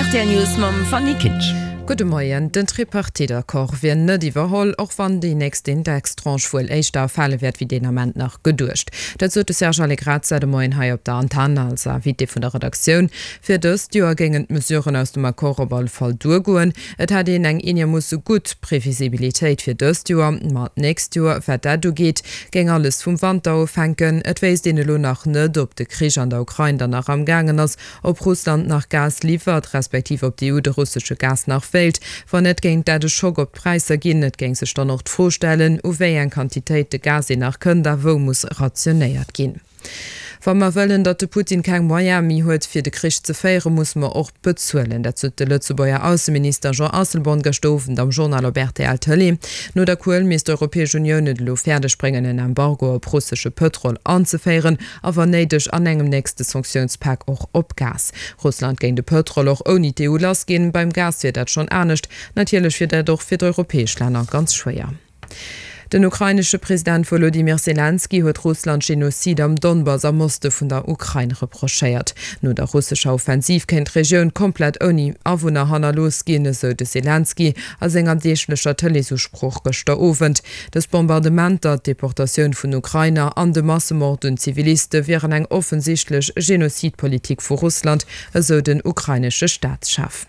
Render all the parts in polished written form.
Rtl News mam Fanny Kinsch. Gudde Moien. Den Tripartite-Accord wier net iwwerholl, och wann déi nächst Indextranche wuel éischter erfale wäert wéi deen Ament nach geduecht. Dat sot de Serge Allegrezza de Moien hei op der Antenn als Invité vun der Redaktioun. Fir dëst Joer géingen d'Mesuren aus dem Accord op alle Fall duergoen. Et hätt een eng eenermoosse gutt Previsibilitéit fir dëst Joer, ma d'nächst Joer, wat dat ugeet, géing alles vum Wanter ofhänken. Et wéisst een elo nach net, ob de Krich an der Ukrain dann nach amgaangen ass, ob Russland nach Gas liwwert, respektiv ob d'EU de russesche Gas nach wéilt. Wann net, géing dat e Schock op d'Präisser ginn. Et géing sech dann och d'Fro stellen, u wéi eng Quantitéite Gas een nach kënnt a wou muss rationéiert ginn. Wa mer wëllen, datt de Putin keng Moyene méi huet, fir de Krich ze féieren, musse mer och bezuelen. Dat sot de Lëtzebuerger Ausseminister Jean Asselborn gëschter Owend am Journal op rtl Tëlee. No der Kuel misst d'Europäesch Unioun et elo fäerdeg bréngen, en Embargo op russesche Pëtrol anzeféieren a wann néideg an engem nächste Sanktiounspak och op Gas. Russland géing de Pëtrol och ouni d'EU lassginn. Beim Gas wier dat schonn anescht. Natierlech wier dat och fir d'europäesch Länner ganz schwéier. Den ukrainesche President Wolodymyr Selenskyj huet Russland Genozid am Donbass am Oste vun der Ukrain reprochéiert. No der russescher Offensiv kéint d'Regioun komplett ouni Awunner hannerlooss ginn, esou de Selenskyj a senger deeglecher Tëleesusprooch gëschter Owend. Dës Bombardementer, d'Deportatioun vun Ukrainer an de Massemord un Ziviliste wieren eng offensichtlech Genozidpolitik vu Russland, esou den ukrainesche Staatschef.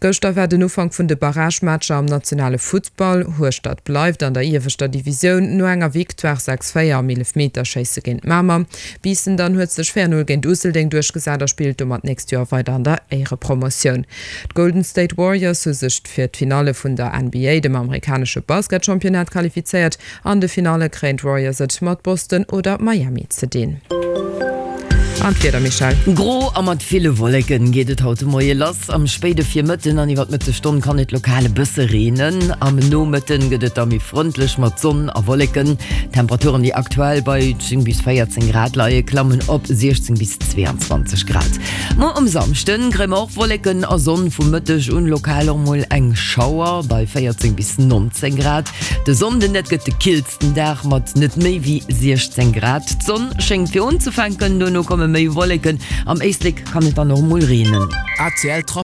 Gëschter war den Ufank vun de Barragematcher am nationale Futtball. Hueschtert bleift an der ieweschter Divisioun no enger Victoire 6, 4 am Eelefmeterschéisse géint Mamer. Biissen dann huet sech 4, 0 géint Useldeng duerchgesat a spillt domat d'nächst Joer weider an der Éierepromotioun. D'Golden State Warriors hu sech fir d'Finalle vun der NBA, dem amerikanesche Basketchampionnat, qualifizéiert. An de Finalle kréien d'Warriors et mat Boston oder Miami ze dinn. An d'Wieder, Michèle? Gro a mat ville Wolleken geet et haut de Moie lass. Am spéide Virmëtten an iwwer d'Mëttesstonn kann et lokal e bësse reenen. Am Nomëtten gëtt et da méi frëndlech mat Sonn a Wolleken. D'Temperaturen, déi aktuell bei 10 bis 14 Grad leie, klammen op 16 bis 22 Grad. Muer um Samschden kréie mer och Wolleken a Sonn, vum Mëtteg un lokal och mol eng Schauer bei 14 bis 19 Grad. De Sonnden, dat gëtt de killsten Dag mat net méi wéi 16 Grad. D'Sonn schéngt fir unzefänken, dono komme méi Wolleken, am Éislek kann et dann och mol reenen.